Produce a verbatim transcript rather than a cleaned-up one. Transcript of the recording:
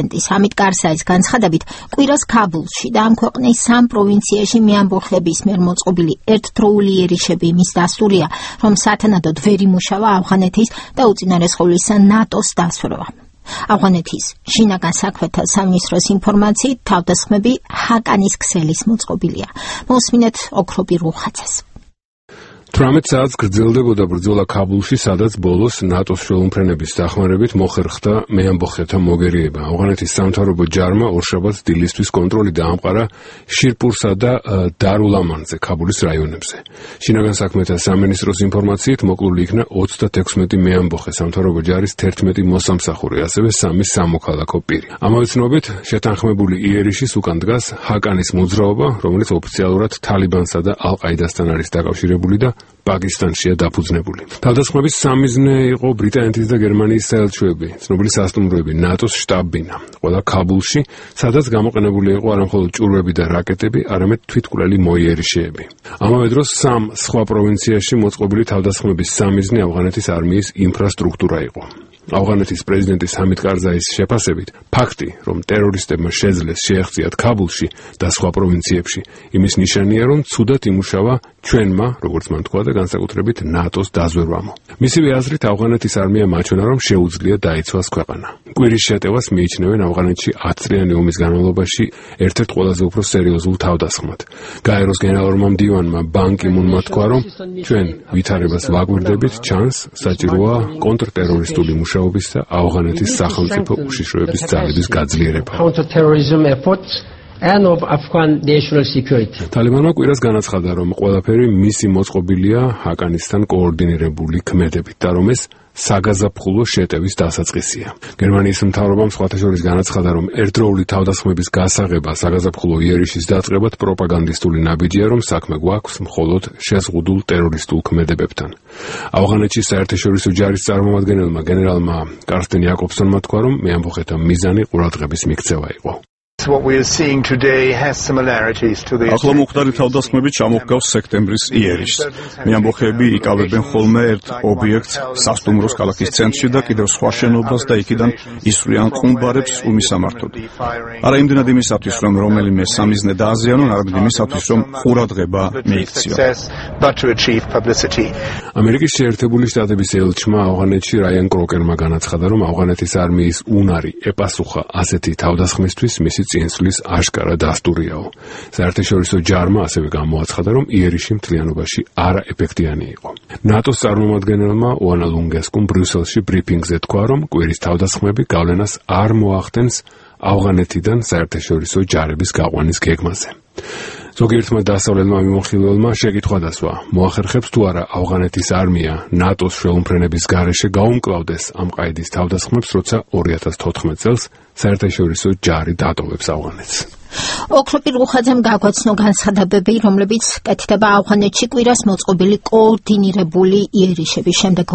პრეზიდენტის ჰამიდ კარზაის განცხადებით, კვირას ქაბულში და ამ ქვეყნის სამ პროვინციაში მეამბოხლების მიერ მოწყობილი ერთდროული იერიშები იმის დასტურია, რომ სათანადოდ ვერ იმუშავა ავღანეთის და უწინარესხულისა ნატოს დასვერვა. ავღანეთის შინაგან საქმეთა სამინისტროს ინფორმაციით თავდასხმები ჰაკანის ქსელის მოწყობილია. მოსმინეთ ოქროპი რუხაძეს. თვრამეტ საათს გრძელდებოდა ბრძოლა ქაბულში, სადაც ბოლოს ნატოს შუალუმფრენების დახმარებით მოხერხდა მეამბოხეთა მოგერიება. ავღანეთის სამთავრობო ჯარმა ორშაბათს დილისთვის კონტროლი დაამყარა შირპურსა და დარულ-ამანზე, ქაბულის რაიონებზე. შინაგან საქმეთა სამინისტროს ინფორმაციით მოკლული იქნა ოცდათექვსმეტი მეამბოხე, სამთავრობო ჯარის თერთმეტი მოსამსახური, ასევე სამი სამოქალაქო პირი. ამავე ცნობით, შეთანხმებული იერიშის უკან დგას ჰაკანის მოძრაობა, რომელიც ოფიციალურად თალიბანსა და ალ-ყაიდასთან არის დაკავშირებული და პაკისტანშია დაფუძნებული. თავდასხმების სამიზნე იყო ბრიტანეთის და გერმანიის საელჩოები, ცნობილი სასტუმროები, ნატოს შტაბ-ბინა, ყველა ქაბულში, სადაც გამოყენებული იყო არამხოლოდ ჭურვები და რაკეტები, არამედ თვითმკვლელი მოიერიშეები. ამავე დროს სამ სხვა პროვინციაში მოწყობილი თავდასხმების სამიზნე ავღანეთის არმიის ინფრასტრუქტურა იყო. ავღანეთის პრეზიდენტის ჰამიდ კარზაის შეფასებით, ფაქტი, რომ ტერორისტებმა შეძლეს შეეღწიათ ქაბულში და სხვა პროვინციებში, იმის ნიშანია, რომ ცუდად იმუშავა ჩვენმა, როგორც მან თქვა და განსაკუთრებით ნატოს დაზვერვამო. მისივე აზრით, ავღანეთის არმიამ აჩვენა, რომ შეუძლია დაიცვას ქვეყანა. კვირის შეტევას მიიჩნევენ ავღანეთში ათწლიანი ომის განმავლობაში ერთ-ერთ ყველაზე უფრო სერიოზულ თავდასხმად. გაეროს გენერალურმა მდივანმა ბან კი მუნმა თქვა, რომ ჩვენ ვითარებას ვაგვირდებით, ჩანს საჭიროა კონტრტერორისტული მუშაობის და ავღანეთის სახელმწიფო უშიშროების ძალების გაძლიერება. and of Afghan national security. Talibanმა კვირას განაცხადა, რომ ყველაფერი მისი მოწყობილია ჰაკანისთან კოორდინირებული ქმედებით და რომ ეს საგაზაფხულო შეტევის დასაწყისია. გერმანიის მთავრობამ სხვათა შორის განაცხადა, რომ ერთდროული თავდასხმების გასაღება საგაზაფხულო იერიშის დაწყებად პროპაგანდისტული ნაბიჯია, რომ საქმე გვაქვს მხოლოდ შეზღუდულ ტერორისტულ ქმედებებთან. ავღანეთში საერთაშორისო ჯარის წარმომადგენელმა გენერალმა კარსტენ იაკობსონმა თქვა, რომ მეამბოხეთა მიზანი ყურადღების მიქცევა იყო. What we are seeing today has similarities to the ახლა მომხდარი თავდასხმები ჩამოჰგავს სექტემბრის იერიშს. მეამბოხეები იკავებენ ხოლმე ერთ ობიექტს სასტუმროს ქალაქის ცენტრში და კიდევ სხვა შენობას და იქიდან ისვრიან ყუმბარებს უმისამართოდ. არა იმდენად იმისათვის, რომ რომელიმე სამიზნე დააზიანონ, არამედ იმისათვის, რომ ყურადღება მიიქციონ. ამერიკის შეერთებული შტატების ელჩმა ავღანეთში რაიან კროკერმა განაცხადა, რომ ავღანეთის არმიის უნარი ეპასუხა ასეთი თავდასხმისთვის მისი წინსვლის აშკარა დასტურიაო. საერთაშორისო ჯარმა ასევე გამოაცხადა, რომ იერიში მთლიანობაში არაეფექტიანი იყო. ნატოს წარმომადგენელმა ოანა ლუნგესკუმ ბრიუსელში ბრიფინგზე თქვა, რომ კვირის თავდასხმები გავლენას არ მოახდენს ავღანეთიდან საერთაშორისო ჯარების გაყვანის გეგმაზე. ზოგიერთმა დასავლელმა მიმოხილველმა შეკითხვა დასვა, მოახერხებს თუ არა ავღანეთის არმია ნატოს შუალუმფრენების გარეშე გაუმკლავდეს ამ ყაიდის თავდასხმებს, როცა ორი ათას თოთხმეტ წელს საერთაშორისო ჯარი დატოვებს ავღანეთს. ოქროპი რუხაძემ გაგვაცნო განცხადებები, რომლებიც კეთდება ავღანეთში კვირას მოწყობილი კოორდინირებული იერიშების შემდეგ.